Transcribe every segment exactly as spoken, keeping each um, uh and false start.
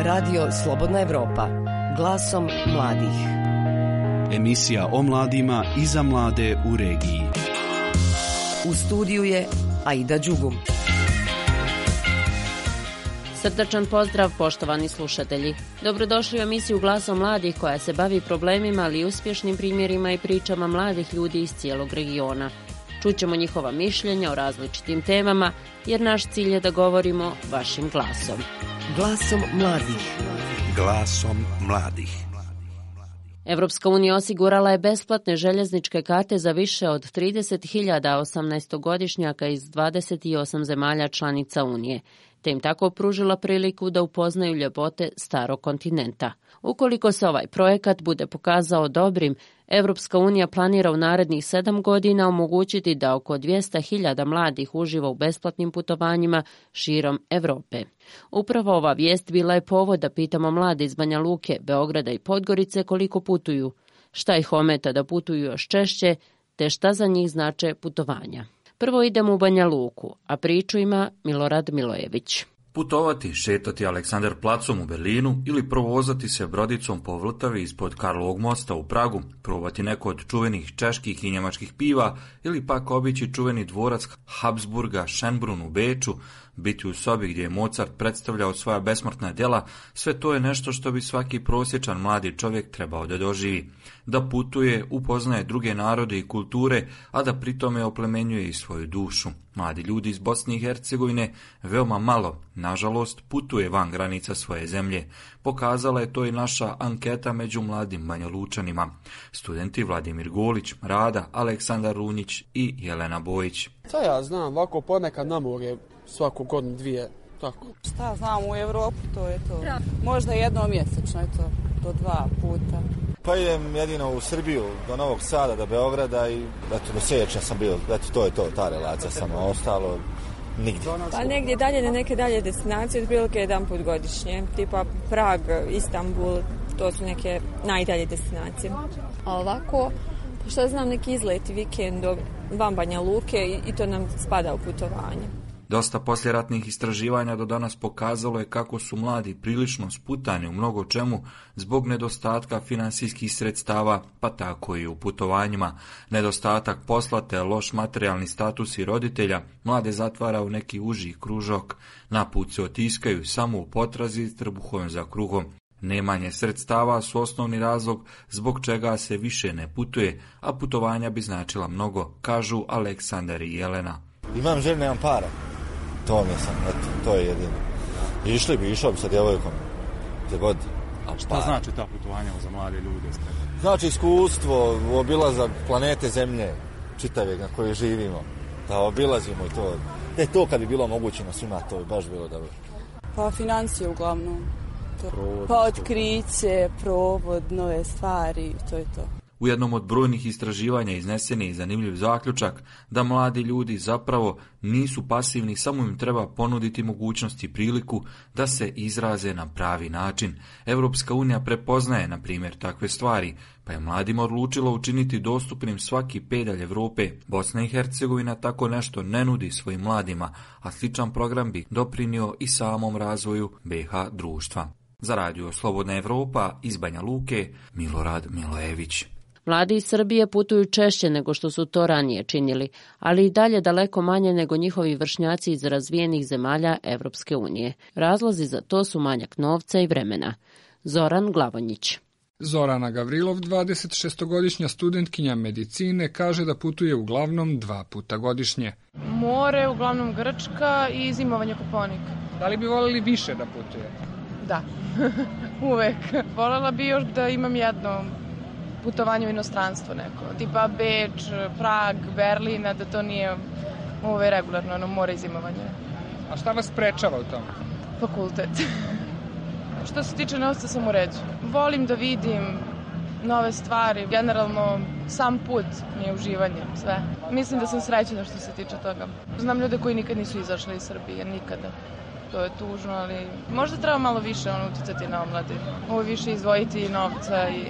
Radio Slobodna Evropa, glasom mladih. Emisija o mladima i za mlade u regiji. U studiju je Aida Đugum. Srdačan pozdrav, poštovani slušatelji. Dobrodošli u emisiju Glasom mladih koja se bavi problemima, ali i uspješnim primjerima i pričama mladih ljudi iz cijelog regiona. Čućemo njihova mišljenja o različitim temama, jer naš cilj je da govorimo vašim glasom. Glasom mladih. Glasom mladih. Evropska unija osigurala je besplatne željezničke karte za više od trideset hiljada osamnaestogodišnjaka iz dvadeset osam zemalja članica Unije, te im tako pružila priliku da upoznaju ljepote starog kontinenta. Ukoliko se ovaj projekat bude pokazao dobrim, Evropska unija planira u narednih sedam godina omogućiti da oko dvjesto hiljada mladih uživa u besplatnim putovanjima širom Evrope. Upravo ova vijest bila je povod da pitamo mlade iz Banja Luke, Beograda i Podgorice koliko putuju, šta ih ometa da putuju još češće, te šta za njih znače putovanja. Prvo idemo u Banja Luku, a priču ima Milorad Milojević. Putovati, šetati Aleksandar placom u Berlinu ili provozati se brodicom po Vltavi ispod Karlovog mosta u Pragu, probati neko od čuvenih čeških i njemačkih piva ili pak obići čuveni dvorac Habsburga Schönbrunn u Beču, biti u sobi gdje je Mozart predstavljao svoja besmrtna djela, sve to je nešto što bi svaki prosječan mladi čovjek trebao da doživi. Da putuje, upoznaje druge narode i kulture, a da pritome oplemenjuje i svoju dušu. Mladi ljudi iz Bosne i Hercegovine veoma malo, nažalost, putuje van granica svoje zemlje. Pokazala je to i naša anketa među mladim Banjalučanima. Studenti Vladimir Golić, Rada, Aleksandar Runjić i Jelena Bojić. Šta ja znam, ovako ponekad na more svaku godinu dvije, tako. Šta znam, u Evropu to je to. Možda jednom mjesečno je to, do dva puta. Pa idem jedino u Srbiju, do Novog Sada, do Beograda i eto, do Sečnja sam bio, eto, to je to, ta relacija, samo ostalo nigdje. Pa negdje dalje na neke dalje destinacije, otprilike jedan put godišnje, tipa Prag, Istanbul, to su neke najdalje destinacije. A ovako, što znam, neki izleti vikendom van Banja Luke i, i to nam spada u putovanje. Dosta posljeratnih istraživanja do danas pokazalo je kako su mladi prilično sputani u mnogo čemu zbog nedostatka finansijskih sredstava, pa tako i u putovanjima. Nedostatak posla te loš materijalni status i roditelja mlade zatvara u neki uži kružok. Naput se otiskaju samo u potrazi trbuhom za kruhom. Nemanje sredstava su osnovni razlog zbog čega se više ne putuje, a putovanja bi značila mnogo, kažu Aleksandar i Jelena. Imam želju, nemam para. To mi sam, eto, to je jedino. Išli bi, išao bi sa djevojkom. Gdje god. A šta znači ta putovanja za mlade ljude? Znači iskustvo, obilazak planete Zemlje, čitave na kojoj živimo. Da obilazimo i to. E, to kad bi bilo omogućeno svima, to bi baš bilo dobro. Pa financije uglavnom. To. Provod, pa otkriće, provod, nove stvari, to je to. U jednom od brojnih istraživanja iznesen je zanimljiv zaključak da mladi ljudi zapravo nisu pasivni, samo im treba ponuditi mogućnost i priliku da se izraze na pravi način. Evropska unija prepoznaje, na primjer, takve stvari, pa je mladima odlučilo učiniti dostupnim svaki pedalj Evrope. Bosna i Hercegovina tako nešto ne nudi svojim mladima, a sličan program bi doprinio i samom razvoju be ha društva. Za Radio Slobodna Evropa iz Banja Luke, Milorad Milojević. Mladi iz Srbije putuju češće nego što su to ranije činili, ali i dalje daleko manje nego njihovi vršnjaci iz razvijenih zemalja Evropske unije. Razlozi za to su manjak novca i vremena. Zoran Glavonjić. Zorana Gavrilov, dvadesetšestogodišnja studentkinja medicine, kaže da putuje uglavnom dva puta godišnje. More, uglavnom Grčka i zimovanje Koponik. Da li bi voljeli više da putuje? Da, uvek. Voljela bi još da imam jedno putovanje u inostranstvo neko, tipa Beč, Prag, Berlin, a da to nije ove regularno, ono, more i zimovanje. A šta vas sprečava u tome? Fakultet. Što se tiče novca sam u redu. Volim da vidim nove stvari, generalno sam put mi je uživanje, sve. Mislim da sam srećena što se tiče toga. Znam ljude koji nikad nisu izašli iz Srbije, nikada. To je tužno, ali možda treba malo više ono, uticati na omladinu. Ovo više izdvojiti novca i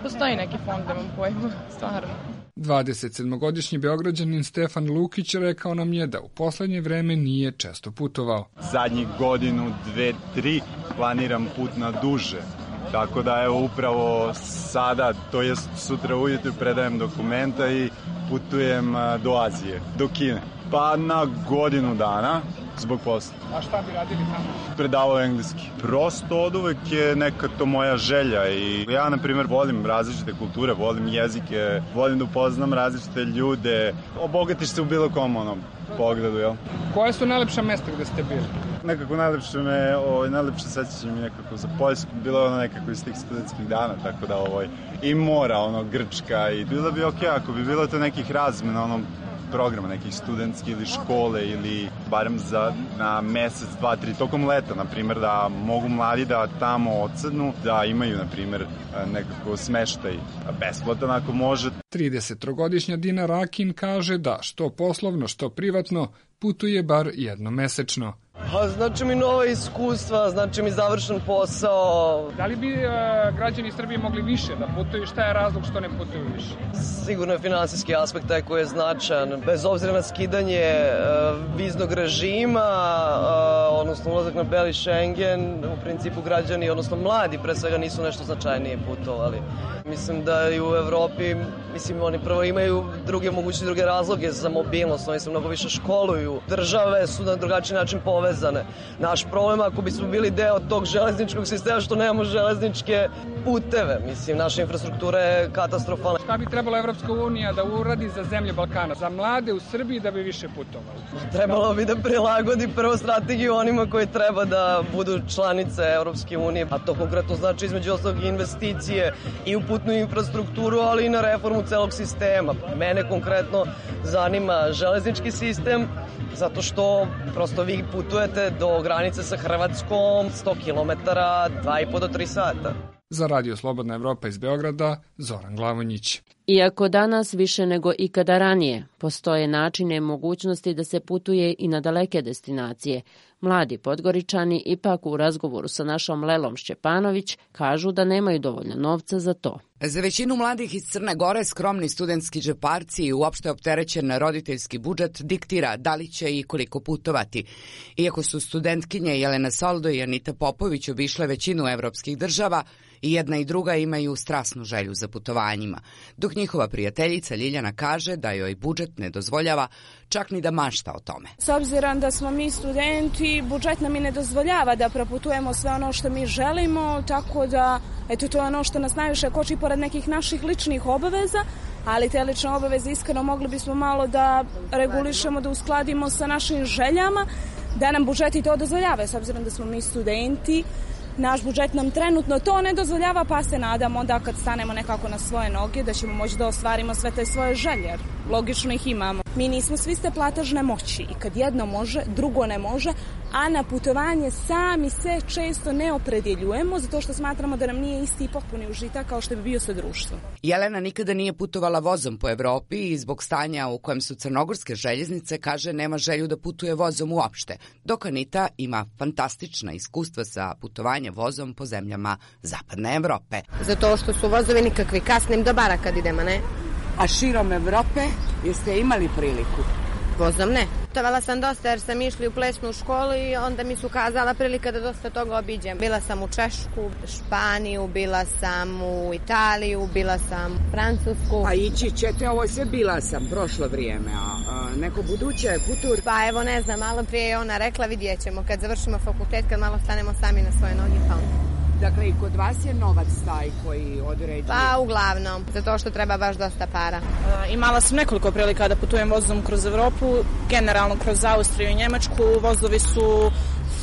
postoji neki fond, nemam pojma, stvarno. dvadesetsedmogodišnji Beograđanin Stefan Lukić rekao nam je da u poslednje vreme nije često putovao. Zadnjih godinu, dve, tri planiram put na duže. Tako da evo upravo sada, to jest sutra ujutru predajem dokumenta i putujem do Azije, do Kine. Pa na godinu dana zbog posla. A šta bi radili tamo? Predavao engleski. Prosto od uvek je neka to moja želja i ja, na primjer, volim različite kulture, volim jezike, volim da upoznam različite ljude. Obogatiš se u bilo kom onom pogledu, jel? Koje su najlepša mesta gde ste bili? Nekako najlepše me, ovaj, najlepše sećanje mi nekako za Poljsku, bilo je ono nekako iz tih studentskih dana, tako da ovaj, i mora, ono, Grčka i bilo bi okej, ako bi bilo to nekih razmena, ono, programa, nekih studentskih ili škole ili barem za na mesec, dva, tri, tokom leta, na primjer, da mogu mladi da tamo odsednu, da imaju, na primjer, nekako smeštaj besplatan ako može. tridesettrogodišnja Dina Rakin kaže da što poslovno, što privatno putuje bar jednom mesečno. Pa znači mi nova iskustva, znači mi završen posao. Da li bi e, građani Srbije mogli više da putuju? Šta je razlog što ne putuju više? Sigurno je finansijski aspekt taj koji je značajan. Bez obzira na skidanje e, viznog režima, e, odnosno ulazak na beli Schengen, u principu građani, odnosno mladi pre svega nisu nešto značajnije putovali. Mislim da i u Evropi, mislim oni prvo imaju druge moguće druge razloge za mobilnost, oni se mnogo više školuju. Države su na drugačiji način povezane. Naš problem ako bismo bili deo tog železničkog sistema što nemamo železničke puteve, mislim naša infrastruktura je katastrofalna. Šta bi trebala Evropska unija da uradi za zemlje Balkana, za mlade u Srbiji da bi više putovali? Trebalo bi da prilagodi prvo strategiju onima koji treba da budu članice Evropske unije, a to konkretno znači između ostalog investicije i u putnu infrastrukturu, ali i na reformu celog sistema. Mene konkretno zanima železnički sistem, zato što prosto vi putujete do granice sa Hrvatskom sto kilometara, dva i po do tri sata. Za Radio Slobodna Evropa iz Beograda, Zoran Glavonjić. Iako danas više nego ikada ranije postoje načine i mogućnosti da se putuje i na daleke destinacije, mladi Podgoričani ipak u razgovoru sa našom Lelom Šćepanović kažu da nemaju dovoljno novca za to. Za većinu mladih iz Crne Gore skromni studentski džeparci i uopšte opterećen roditeljski budžet diktira da li će i koliko putovati. Iako su studentkinje Jelena Soldo i Anita Popović obišle većinu evropskih država, i jedna i druga imaju strasnu želju za putovanjima, dok njihova prijateljica Ljiljana kaže da joj budžet ne dozvoljava čak ni da mašta o tome. S obzirom da smo mi studenti, budžet nam i ne dozvoljava da proputujemo sve ono što mi želimo, tako da eto, to je ono što nas najviše koči pored nekih naših ličnih obaveza, ali te lične obaveze iskreno mogli bismo malo da regulišemo, da uskladimo sa našim željama, da nam budžeti to dozvoljava, s obzirom da smo mi studenti. Naš budžet nam trenutno to ne dozvoljava, pa se nadamo da kad stanemo nekako na svoje noge da ćemo moći da ostvarimo sve te svoje želje. Logično ih imamo. Mi nismo svi ste platežne moći i kad jedno može, drugo ne može, a na putovanje sami se često ne opredjeljujemo zato što smatramo da nam nije isti i potpuni užitak kao što bi bio sa društvom. Jelena nikada nije putovala vozom po Evropi i zbog stanja u kojem su crnogorske željeznice kaže nema želju da putuje vozom uopšte, dok Anita ima fantastična iskustva sa putovanjem vozom po zemljama Zapadne Evrope. Zato što su vozovi nikakvi, kasnim do bara kad idemo, ne? A širom Evrope jeste imali priliku? Vozom ne. Putovala sam dosta jer sam išli u plesnu školu i onda mi su kazala prilika da dosta toga obiđem. Bila sam u Češku, Španiju, bila sam u Italiju, bila sam u Francusku. A ići ćete, ovo sve bila sam prošlo vrijeme, a, a neko buduće futur? Pa evo ne znam, malo prije je ona rekla, vidjet ćemo kad završimo fakultet, kad malo stanemo sami na svoje noge, pa onda. Dakle, i kod vas je novac taj koji određuje? Pa, uglavnom, zato što treba baš dosta para. E, imala sam nekoliko prilika da putujem vozom kroz Evropu, generalno kroz Austriju i Njemačku. Vozovi su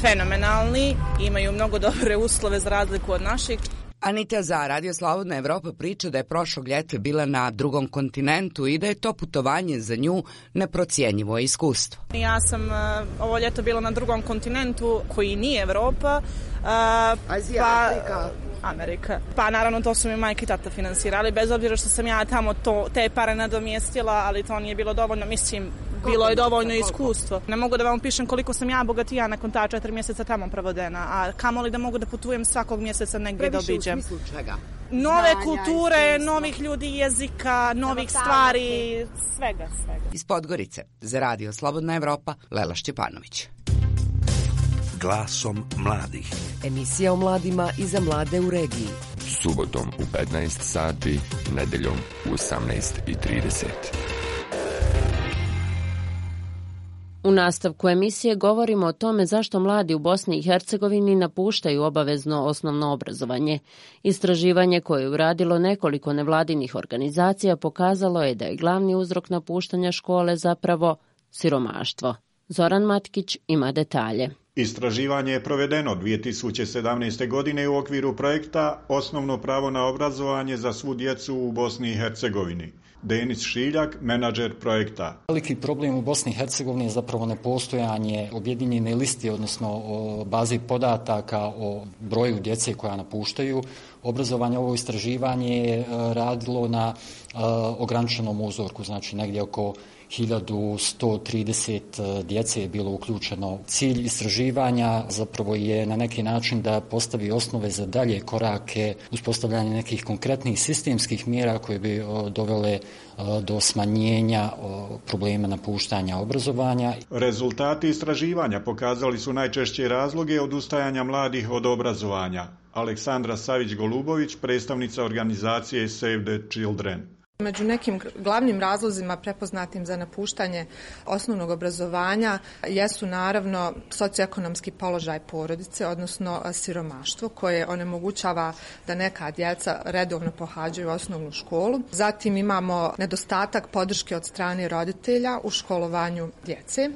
fenomenalni, imaju mnogo dobre uslove za razliku od naših. Anita za Radio Slobodna Evropa priča da je prošlog ljeta bila na drugom kontinentu i da je to putovanje za nju neprocijenjivo iskustvo. Ja sam uh, ovo ljeto bila na drugom kontinentu koji nije Evropa. Uh, Azija, pa, Afrika. Amerika. Pa naravno to su mi majka i tata finansirali, bez obzira što sam ja tamo to, te pare nadomjestila, ali to nije bilo dovoljno. Mislim, bilo je dovoljno iskustvo. Ne mogu da vam pišem koliko sam ja bogatija nakon ta četiri mjeseca tamo provodena, a kamoli da mogu da putujem svakog mjeseca negdje da obiđem. Previše u smislu čega? Nove kulture, novih ljudi, jezika, novih stvari, svega, svega. Iz Podgorice, za Radio Slobodna Evropa, Lela Šćepanović. Glasom mladih. Emisija o mladima i za mlade u regiji. Subotom u petnaest sati, nedeljom u osamnaest i trideset. U nastavku emisije govorimo o tome zašto mladi u Bosni i Hercegovini napuštaju obavezno osnovno obrazovanje. Istraživanje koje je uradilo nekoliko nevladinih organizacija pokazalo je da je glavni uzrok napuštanja škole zapravo siromaštvo. Zoran Matkić ima detalje. Istraživanje je provedeno dvije tisuće sedamnaeste. godine u okviru projekta Osnovno pravo na obrazovanje za svu djecu u Bosni i Hercegovini. Denis Šiljak, menadžer projekta. Veliki problem u Bosni i Hercegovini je zapravo nepostojanje objedinjene liste, odnosno baze podataka o broju djece koja napuštaju obrazovanje. Ovo istraživanje je radilo na ograničenom uzorku, znači negdje oko hiljadu sto trideset djece je bilo uključeno. Cilj istraživanja zapravo je na neki način da postavi osnove za dalje korake, uspostavljanje nekih konkretnih sistemskih mjera koje bi dovele do smanjenja problema napuštanja obrazovanja. Rezultati istraživanja pokazali su najčešće razloge odustajanja mladih od obrazovanja. Aleksandra Savić-Golubović, predstavnica organizacije Save the Children. Među nekim glavnim razlozima prepoznatim za napuštanje osnovnog obrazovanja jesu naravno socioekonomski položaj porodice, odnosno siromaštvo koje onemogućava da neka djeca redovno pohađaju osnovnu školu. Zatim imamo nedostatak podrške od strane roditelja u školovanju djece,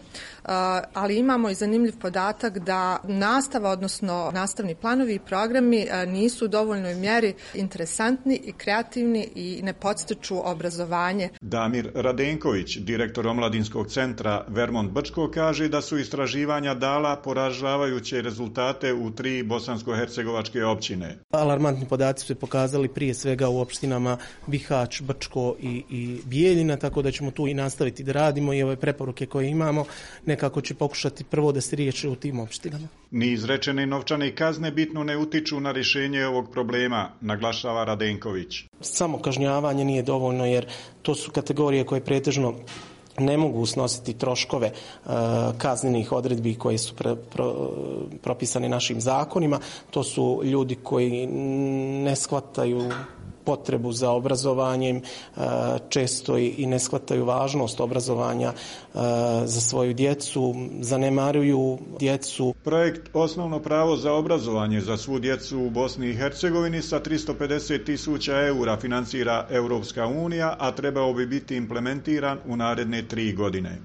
ali imamo i zanimljiv podatak da nastava, odnosno nastavni planovi i programi nisu u dovoljnoj mjeri interesantni i kreativni i ne podstiču obrazovanje. Damir Radenković, direktor omladinskog centra Vermont Brčko, kaže da su istraživanja dala poražavajuće rezultate u tri bosansko-hercegovačke općine. Alarmantni podaci su pokazali prije svega u opštinama Bihać, Brčko i, i Bijeljina, tako da ćemo tu i nastaviti da radimo i ove preporuke koje imamo nekako će pokušati prvo da se riješe u tim opštinama. Ni izrečene novčane kazne bitno ne utiču na rješenje ovog problema, naglašava Radenković. Samo kažnjavanje nije dovoljno jer to su kategorije koje pretežno ne mogu snositi troškove uh, kaznenih odredbi koje su pre, pro, propisane našim zakonima. To su ljudi koji ne shvataju potrebu za obrazovanjem, često i ne shvataju važnost obrazovanja za svoju djecu, zanemaruju djecu. Projekt Osnovno pravo za obrazovanje za svu djecu u Bosni i Hercegovini sa tristo pedeset tisuća eura financira Europska unija, a trebao bi biti implementiran u naredne tri godine.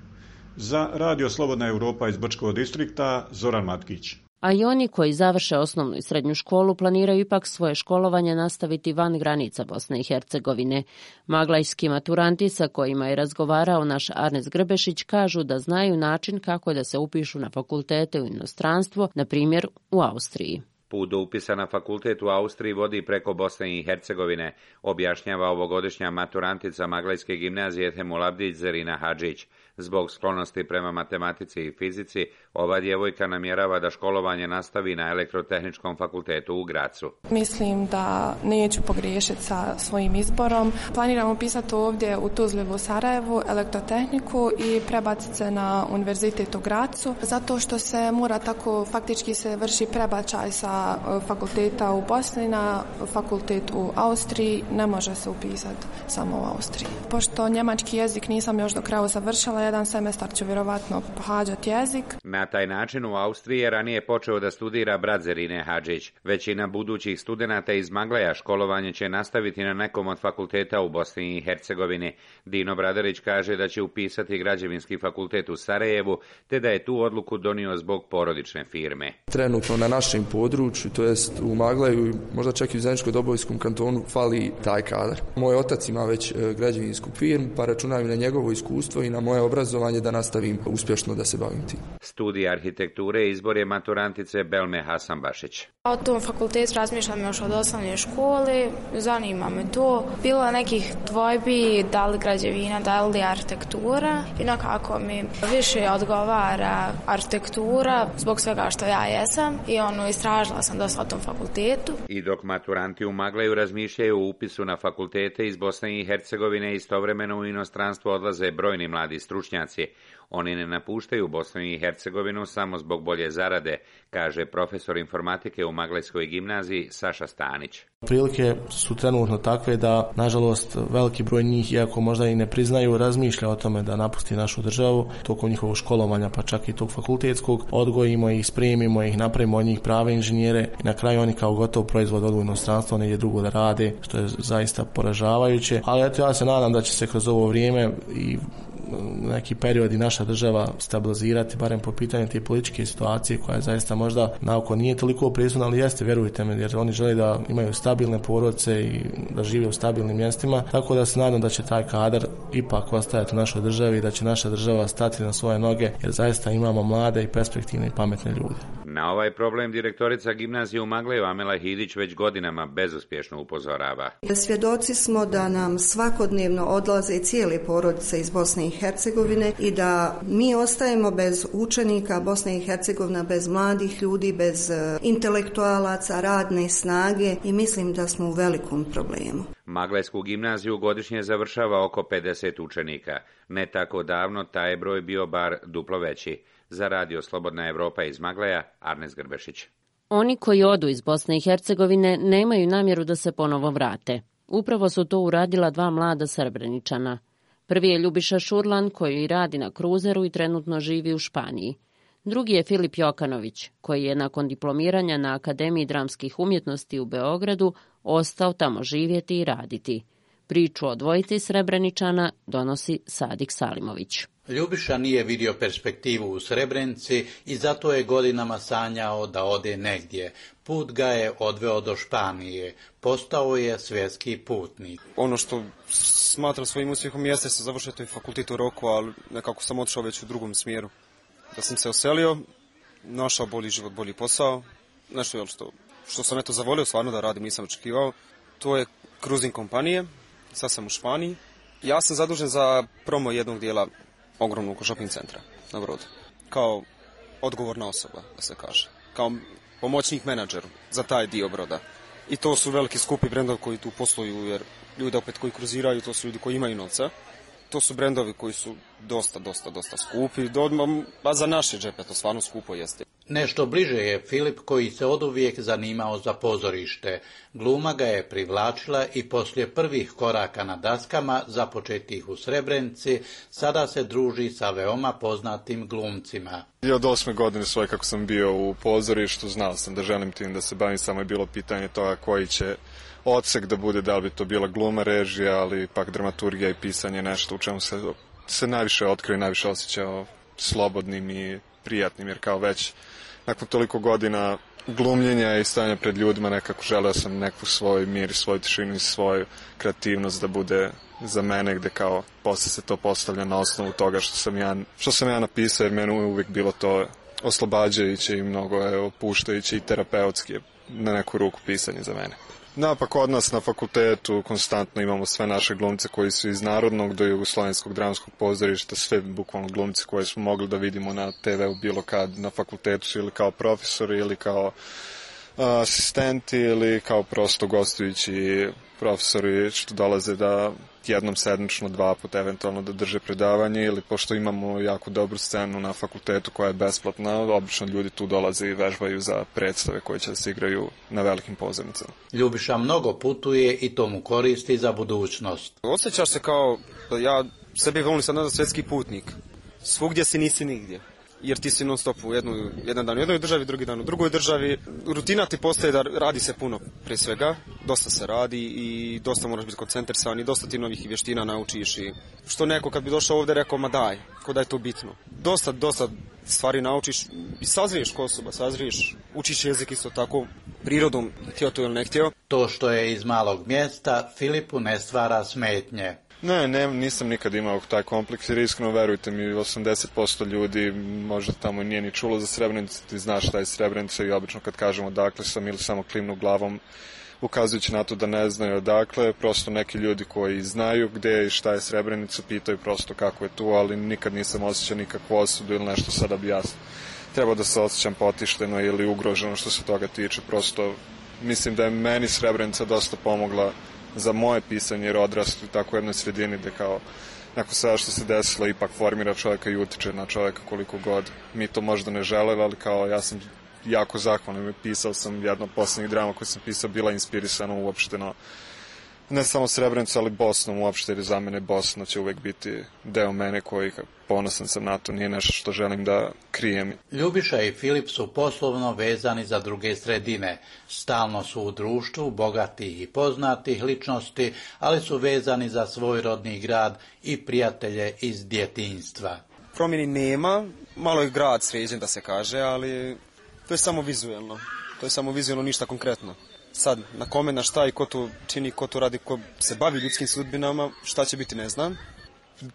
Za Radio Slobodna Evropa iz Brčkog distrikta, Zoran Matkić. A i oni koji završe osnovnu i srednju školu planiraju ipak svoje školovanje nastaviti van granica Bosne i Hercegovine. Maglajski maturanti sa kojima je razgovarao naš Arnes Grbešić kažu da znaju način kako da se upišu na fakultete u inostranstvo, na primjer u Austriji. Put do upisa na fakultet u Austriji vodi preko Bosne i Hercegovine, objašnjava ovogodišnja maturantica Maglajske gimnazije Temul Abdić Zerina Hadžić. Zbog sklonosti prema matematici i fizici, ova djevojka namjerava da školovanje nastavi na Elektrotehničkom fakultetu u Gracu. Mislim da neću pogriješiti sa svojim izborom. Planiram upisati ovdje u Tuzli u Sarajevu elektrotehniku i prebaciti se na univerzitet u Gracu, zato što se mora tako, faktički se vrši prebačaj sa fakulteta u Bosni na fakultet u Austriji, ne može se upisati samo u Austriji. Pošto njemački jezik nisam još do kraja završila, jedan semestar ću vjerovatno pohađati jezik. Na taj način u Austriji je ranije počeo da studira brat Zerine Hadžić. Većina budućih studenata iz Maglaja školovanje će nastaviti na nekom od fakulteta u Bosni i Hercegovini. Dino Bradarić kaže da će upisati građevinski fakultet u Sarajevu, te da je tu odluku donio zbog porodične firme. Trenutno na našem području, to jest u Maglaju, možda čak i u Zeničko-Dobojskom kantonu, fali taj kadar. Moj otac ima već građevinsku firmu, pa računaju na njegovo iskustvo i na moje obrazovanje da nastavim uspješno da se bavim tim. Studij studija arhitekture izbor je maturantice Belme Hasanbašić. O tom fakultetu razmišljam još od osnovne škole, zanima me to. Bilo je nekih dvojbi da li građevina, da li arhitektura i nekako mi više odgovara arhitektura zbog svega što ja jesam i ono istražila sam dosta o tom fakultetu. I dok maturanti u Magleju razmišljaju o upisu na fakultete iz Bosne i Hercegovine, istovremeno u inostranstvo odlaze brojni mladi stručnjaci. Oni ne napuštaju Bosnu i Hercegovinu samo zbog bolje zarade, kaže profesor informatike u Maglejskoj gimnaziji Saša Stanić. Prilike su trenutno takve da, nažalost, veliki broj njih, iako možda i ne priznaju, razmišlja o tome da napusti našu državu. Tokom njihovog školovanja, pa čak i tog fakultetskog, odgojimo ih, spremimo ih, napravimo od njih prave inženjere i na kraju oni kao gotov proizvod odu u inostranstvo, negdje drugo da rade, što je zaista poražavajuće. Ali eto, ja se nadam da će se kroz ovo vrijeme i neki period i naša država stabilizirati, barem po pitanju te političke situacije koja je zaista možda naoko nije toliko prisutna, ali jeste, vjerujte me, jer oni žele da imaju stabilne porodice i da žive u stabilnim mjestima, tako da se nadam da će taj kadar ipak ostajati u našoj državi i da će naša država stati na svoje noge, jer zaista imamo mlade i perspektivne i pametne ljude. Na ovaj problem direktorica gimnazije u Magleju Amela Hidić već godinama bezuspješno upozorava. Svjedoci smo da nam svakodnevno odlaze cijele porodice iz Bosne i Hercegovine i da mi ostajemo bez učenika, Bosna i Hercegovina bez mladih ljudi, bez intelektualaca, radne snage i mislim da smo u velikom problemu. Maglejsku gimnaziju godišnje završava oko pedeset učenika. Ne tako davno taj je broj bio bar duplo veći. Za radio Slobodna Evropa iz Magleja, Arnes Grbešić. Oni koji odu iz Bosne i Hercegovine nemaju namjeru da se ponovo vrate. Upravo su to uradila dva mlada Srebreničana. Prvi je Ljubiša Šurlan, koji radi na kruzeru i trenutno živi u Španiji. Drugi je Filip Jokanović, koji je nakon diplomiranja na Akademiji dramskih umjetnosti u Beogradu ostao tamo živjeti i raditi. Priču o dvojici Srebreničana donosi Sadik Salimović. Ljubiša nije vidio perspektivu u Srebrenici i zato je godinama sanjao da ode negdje. Put ga je odveo do Španije. Postao je svjetski putnik. Ono što smatram svojim uspjehom jeste se završio taj fakultet u roku, ali nekako sam otišao već u drugom smjeru. Da sam se oselio, našao bolji život, bolji posao. Nešto je što, što sam eto zavolio stvarno da radim, nisam očekivao. To je cruising kompanije, sad sam u Španiji. Ja sam zadužen za promo jednog dijela ogromnog shopping centra na Brodu. Kao odgovorna osoba, da se kaže. Kao pomoćnik menadžeru za taj dio Broda. I to su veliki skupi brendovi koji tu posluju, jer ljudi opet koji kruziraju, to su ljudi koji imaju novca. To su brendovi koji su dosta, dosta, dosta skupi. A za naše džepe to stvarno skupo jeste. Nešto bliže je Filip, koji se oduvijek zanimao za pozorište. Gluma ga je privlačila i poslije prvih koraka na daskama, započetih u Srebrenici, sada se druži sa veoma poznatim glumcima. I od osme godine svoje kako sam bio u pozorištu, znao sam da želim tim da se bavim, samo je bilo pitanje toga koji će odsek da bude, da li bi to bila gluma, režija, ali pak dramaturgija i pisanje, nešto u čemu se, se najviše otkrio i najviše osjećao slobodnim i prijatnim, jer kao već nakon toliko godina glumljenja i stajanja pred ljudima nekako želeo sam neku svoj mir, svoju tišinu i svoju kreativnost da bude za mene, gde kao posle se to postavlja na osnovu toga što sam ja, što sam ja napisao, jer meni uvijek bilo to oslobađajuće i mnogo je opuštajuće i terapeutski na neku ruku pisanje za mene. Da, pa kod nas na fakultetu konstantno imamo sve naše glumce koji su iz Narodnog do Jugoslovenskog dramskog pozorišta, sve bukvalno glumce koje smo mogli da vidimo na te ve u bilo kad na fakultetu su ili kao profesori ili kao a, asistenti ili kao prosto gostujući profesori što dolaze da jednom sedmično, dva puta eventualno da drže predavanje, ili pošto imamo jako dobru scenu na fakultetu koja je besplatna, obično ljudi tu dolaze i vežbaju za predstave koje će da se igraju na velikim pozornicama. Ljubiša mnogo putuje i to mu koristi za budućnost. Osjećaš se kao, ja sebi volim sad da svjetski putnik. Svugdje si nisi nigdje. Jer ti si non stop u jednu, jedan dan u jednoj državi, drugi dan u drugoj državi. Rutina ti postaje da radi se puno prije svega, dosta se radi i dosta moraš biti koncentrisan i dosta ti novih vještina naučiš. I što neko kad bi došao ovdje rekao, ma daj, ko da je to bitno. Dosta, dosta stvari naučiš i sazriješ ko osoba, sazriješ, učiš jezik isto tako, prirodom, htio to ili ne htio. To što je iz malog mjesta, Filipu ne stvara smetnje. Ne, ne, nisam nikad imao taj kompleks jer iskreno verujte mi osamdeset posto ljudi možda tamo nije ni čulo za Srebrenicu, ti znaš šta je Srebrenica i obično kad kažemo odakle sam ili samo klimnu glavom ukazujući na to da ne znaju odakle, prosto neki ljudi koji znaju gde je i šta je Srebrenica pitaju prosto kako je tu, ali nikad nisam osjećao nikakvu osudu ili nešto sada bi ja trebao da se osjećam potišteno ili ugroženo što se toga tiče, prosto mislim da je meni Srebrenica dosta pomogla za moje pisanje jer odrastu u tako jednoj sredini gde kao nakon sada što se desilo ipak formira čovjeka i utiče na čovjeka koliko god mi to možda ne želeli, ali kao ja sam jako zahvalan. Pisao sam jedno od poslednjih drama koje sam pisao, bila inspirisana uopšteno ne samo Srebrenicu, ali Bosnom uopšte, jer za mene Bosna će uvek biti deo mene koji ponosan sam na to, nije nešto što želim da krijem. Ljubiša i Filip su poslovno vezani za druge sredine. Stalno su u društvu bogatih i poznatih ličnosti, ali su vezani za svoj rodni grad i prijatelje iz djetinjstva. Promjeni nema, malo je grad sređen da se kaže, ali to je samo vizuelno. To je samo vizuelno, ništa konkretno. Sad, na kome, na šta i ko to čini, ko to radi, ko se bavi ljudskim sudbinama, šta će biti, ne znam.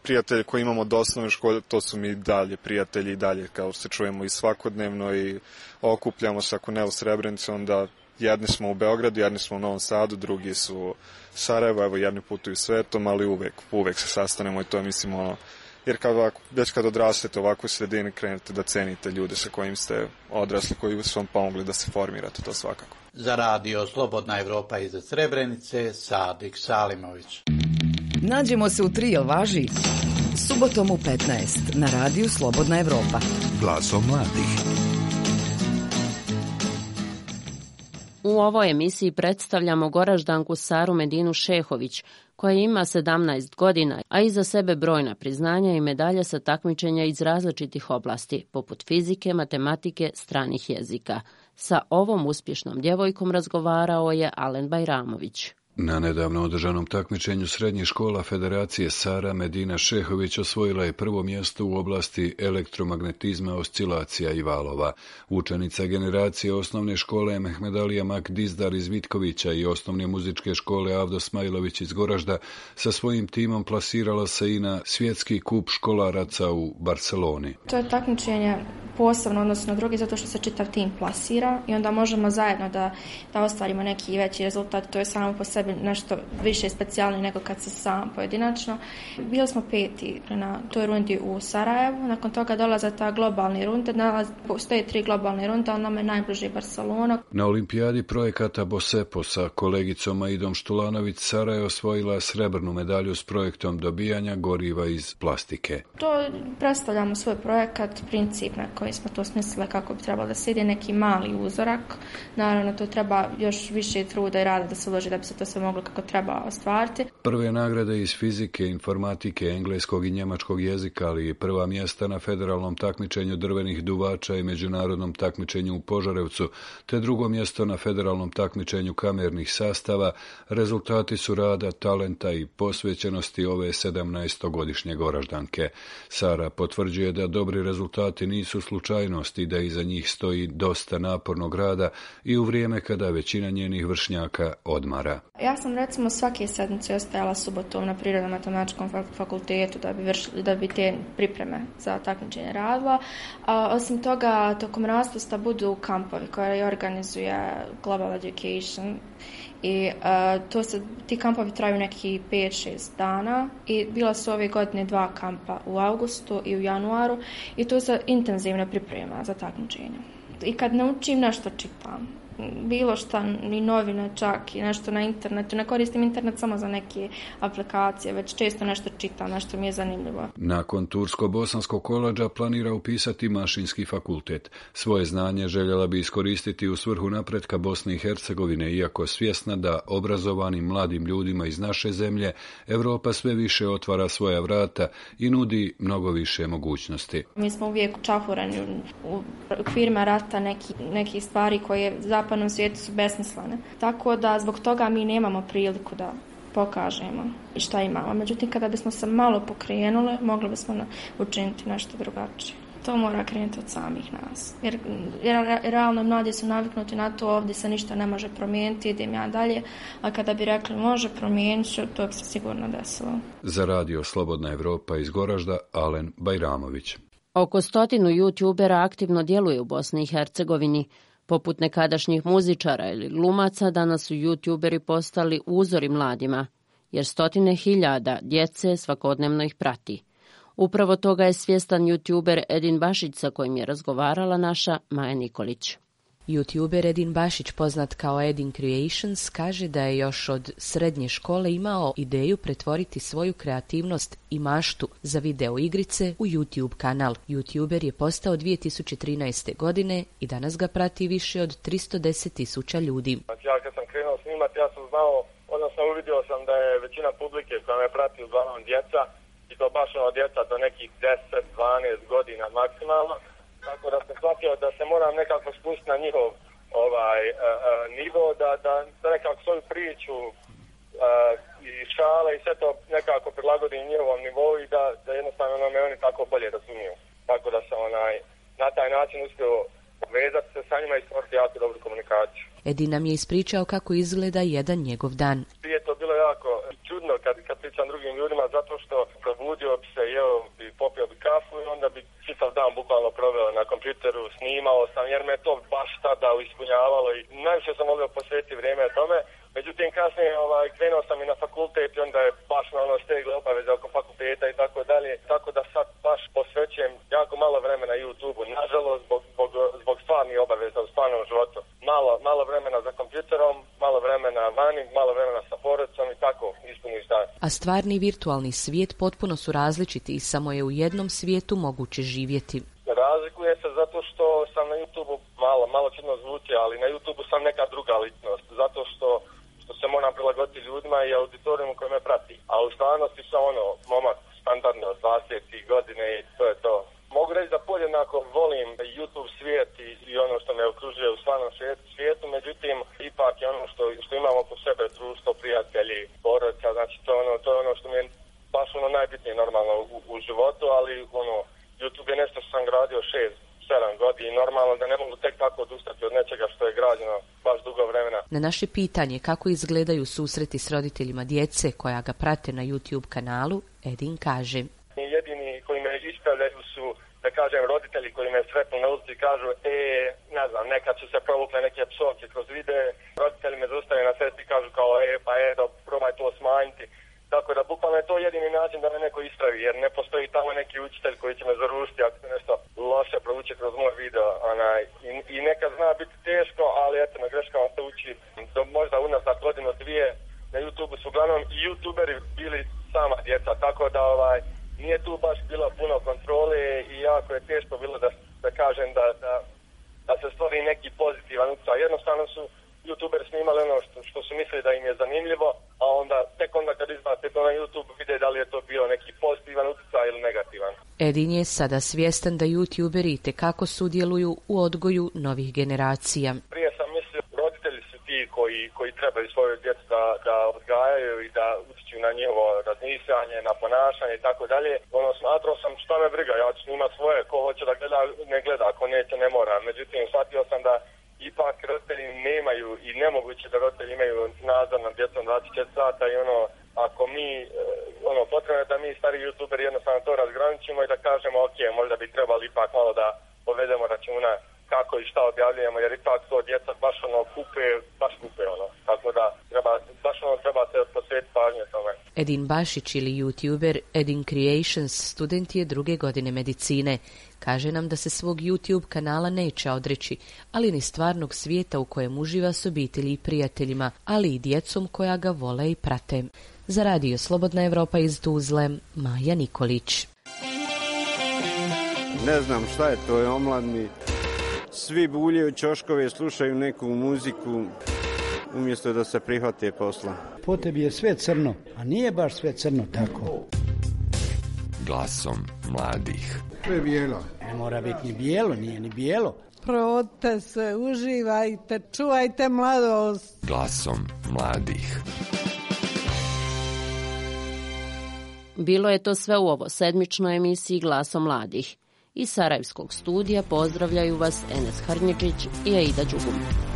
Prijatelje koje imamo od osnovne škole, to su mi dalje prijatelji i dalje, kao se čujemo i svakodnevno i okupljamo se, ako ne u Srebrenici, onda jedni smo u Beogradu, jedni smo u Novom Sadu, drugi su u Sarajevo, evo jedni putuju svetom, ali uvek, uvek se sastanemo i to je, mislim, ono, jer kad ovako, već kad odrastete ovako u sredini, krenete da cenite ljude sa kojim ste odrasli, koji su vam pomogli da se formirate, to svakako. Za radio Slobodna Evropa iz Srebrenice, Sadik Salimović. Nađemo se u tri, jel važi? Subotom u petnaest na radiju Slobodna Evropa. Glasom mladih. U ovoj emisiji predstavljamo Goraždanku Saru Medinu Šehović, koja ima sedamnaest godina, a iza sebe brojna priznanja i medalje sa takmičenja iz različitih oblasti, poput fizike, matematike, stranih jezika. Sa ovom uspješnom djevojkom razgovarao je Alen Bajramović. Na nedavno održanom takmičenju srednjih škola Federacije Sara Medina Šehović osvojila je prvo mjesto u oblasti elektromagnetizma, oscilacija i valova. Učenica generacije osnovne škole Mehmedalija Mak Dizdar iz Vitkovića i osnovne muzičke škole Avdo Smajlović iz Goražda sa svojim timom plasirala se i na svjetski kup školaraca u Barceloni. To je takmičenje posebno odnosno drugi zato što se čitav tim plasira i onda možemo zajedno da, da ostvarimo neki veći rezultat. To je samo po sebi nešto više specijalno nego kad se sam pojedinačno. Bili smo peti na toj rundi u Sarajevu, nakon toga dolaze ta globalni runde, postoje tri globalne runde, on nam je najbliži Barcelona. Na olimpijadi projekata Bosepo sa kolegicom Aidom Štulanović Sara je osvojila srebrnu medalju s projektom dobijanja goriva iz plastike. To predstavljamo svoj projekat, princip na koji smo to smislili kako bi trebalo da se ide neki mali uzorak. Naravno, to treba još više truda i rada da se uloži da bi se to sve moglo kako treba ostvariti. Prve nagrade iz fizike, informatike, engleskog i njemačkog jezika, ali i prva mjesta na federalnom takmičenju drvenih duvača i međunarodnom takmičenju u Požarevcu, te drugo mjesto na federalnom takmičenju kamernih sastava, rezultati su rada, talenta i posvećenosti ove sedamnaestogodišnje Goraždanke. Sara potvrđuje da dobri rezultati nisu slučajnost i da iza njih stoji dosta napornog rada i u vrijeme kada većina njenih vršnjaka odmara. Ja sam recimo svake sedmice ostajala subotom na Prirodno-matematičkom fakultetu da bi, vršili, da bi te pripreme za takmičenje radila. A, osim toga, tokom raspusta budu kampovi koje organizuje Global Education i uh, to se, ti kampovi traju neki pet šest dana i bila su ove godine dva kampa u avgustu i u januaru i to se intenzivno priprema za takmičenje. I kad naučim nešto čitam, bilo šta, ni novine čak i nešto na internetu. Ne koristim internet samo za neke aplikacije, već često nešto čitam, nešto mi je zanimljivo. Nakon Tursko-Bosanskog koledža planira upisati mašinski fakultet. Svoje znanje željela bi iskoristiti u svrhu napretka Bosne i Hercegovine, iako svjesna da obrazovanim mladim ljudima iz naše zemlje Evropa sve više otvara svoja vrata i nudi mnogo više mogućnosti. Mi smo uvijek čahurani u okvirima rata neki, neki stvari koje zapravo u svijetu su besmislene. Tako da zbog toga mi nemamo priliku da pokažemo i šta imamo. Međutim, kada bismo se malo pokrenuli, mogli bismo učiniti nešto drugačije. to mora krenuti od samih nas. Jer, jer realno mladi su naviknuti na to, ovdje se ništa ne može promijeniti, idem ja dalje, a kada bi rekli može promijeniti, to bi se sigurno desilo. Za radio Slobodna Evropa iz Goražda, Alen Bajramović. Oko stotinu youtubera aktivno djeluje u Bosni i Hercegovini. Poput nekadašnjih muzičara ili glumaca, danas su youtuberi postali uzori mladima, jer stotine hiljada djece svakodnevno ih prati. Upravo toga je svjestan youtuber Edin Bašić, sa kojim je razgovarala naša Maja Nikolić. YouTuber Edin Bašić, poznat kao Edin Creations, kaže da je još od srednje škole imao ideju pretvoriti svoju kreativnost i maštu za video igrice u YouTube kanal. YouTuber je postao dvije tisuće trinaeste. godine i danas ga prati više od tristo deset tisuća ljudi. Ja kad sam krenuo snimati, ja sam znao, odnosno uvidio sam da je većina publike koja me prati uglavnom djeca, i to baš ono djeca do nekih deset dvanaest godina maksimalno. Tako da sam shvatio da se moram nekako spustiti na njihov ovaj, uh, uh, nivo, da, da, da nekako svoju priču uh, i šale i sve to nekako prilagodim njihovom nivou i da, da jednostavno me oni tako bolje razumiju. Tako da sam onaj, na taj način uspio povezati se sa njima i stvoriti jako dobru komunikaciju. Edin nam je ispričao kako izgleda jedan njegov dan. Prije to bilo jako čudno kad, kad pričam drugim ljudima, zato što probudio bi se, jeo bi, popio bi kafu i onda bi čitav dan bukvalno proveo na kompjuteru, snimao sam jer me to baš tada ispunjavalo i najviše sam volio posvetiti vrijeme tome. Međutim, kasnije ovaj, krenuo sam i na fakultet i onda je baš na ono stegle obaveze oko fakulteta i tako dalje. Tako da sad baš posvećujem jako malo vremena YouTube-u, nažalost, zbog, zbog, zbog stvarnih obaveza u stvarnom životu. Malo, malo vremena za kompjuterom, malo vremena vani, malo vremena sa porodicom i tako ispuniš dan. A stvarni i virtualni svijet potpuno su različiti i samo je u jednom svijetu moguće živjeti. Razlikuje se zato što sam na YouTube-u, malo, malo čudno zvuči, ali na YouTube-u sam neka druga ličnost, zato što se moram prilagoditi ljudima i auditorijumu koji me prati. A u stvarnosti sam ono, momak standardno dvadeset godine i to je to. Mogu reći da podjednako volim YouTube svijet i, i ono što me okružuje u stvarnom svijetu, međutim, ipak je ono što, što imamo oko sebe, društvo, prijatelji, porodica, znači to, ono, to je ono što mi je baš ono najbitnije normalno u, u životu, ali ono, YouTube je nešto što sam gradio šest, sedam godina i normalno da ne mogu tek tako odustati od nečega što je građeno baš dugo vremena. Na naše pitanje kako izgledaju susreti s roditeljima djece koja ga prate na YouTube kanalu, Edin kaže: jedini koji me ispravljaju su, da kažem, roditelji koji me sretnu na ulici i kažu, e, ne znam, nekad su se provukle neke psovke kroz videe, roditelji me zaustavljaju na cesti i kažu kao, e, pa eto, probaj to smanjiti. Tako da bukvalno je to jedini način da me neko ispravi, jer ne postoji tamo neki učitelj koji će me zarušiti ako se nešto loše provuče kroz moj video. Onaj, i, I nekad zna biti teško, ali eto, na greškama se uči. Do, možda unazad godinu dvije na YouTube su uglavnom i YouTuberi bili sama djeca, tako da ovaj, nije tu baš bilo puno kontrole i jako je teško bilo da, da kažem da, da, da se stvori neki pozitivan utjecaj. Jednostavno su YouTuberi snimali ono što, što su mislili da im je zanimljivo, a onda tek onda kad izbacite to na YouTube vide da li je to bio neki pozitivan utjecaj ili negativan. Edin je sada svjestan da YouTuberi itekako sudjeluju u odgoju novih generacija. Prije sam mislio roditelji su ti koji, koji trebaju svoju djecu da, da odgajaju i da utječu na njihovo razmišljanje, na ponašanje i tako dalje. Ono, smatrao sam šta me briga, ja ću snimati svoje, ko hoće da gleda, ne gleda, ko neće ne mora. Međutim, shvatio sam da ipak roditelji nemaju i nemoguće da roditelji imaju nadzor nad djecom dvadeset četiri sata i ono, ako mi, ono, potrebno je da mi stari youtuberi jednostavno to razgraničimo i da kažemo, ok, možda bi trebali ipak malo da povedemo računa kako i šta objavljujemo, jer ipak to djeca baš ono kupe, baš kupe ono, tako da treba, baš ono treba se posvetiti pažnje tome. Edin Bašić ili YouTuber Edin Creations student je druge godine medicine. Kaže nam da se svog YouTube kanala neće odreći, ali ni stvarnog svijeta u kojem uživa s obitelji i prijateljima, ali i djecom koja ga vole i prate. Za radio Slobodna Evropa iz Tuzle, Maja Nikolić. Ne znam šta je to, je omladni. Svi buljaju ćoškove, slušaju neku muziku, umjesto da se prihvate posla. Po tebi je sve crno, a nije baš sve crno tako. Glasom mladih. To je bijelo. Ne mora biti ni bijelo, nije ni bijelo. Provodite se, uživajte, čuvajte mladost. Glasom mladih. Bilo je to sve u ovo sedmičnoj emisiji Glasom mladih. Iz Sarajevskog studija pozdravljaju vas Enes Harnječić i Aida Đugum.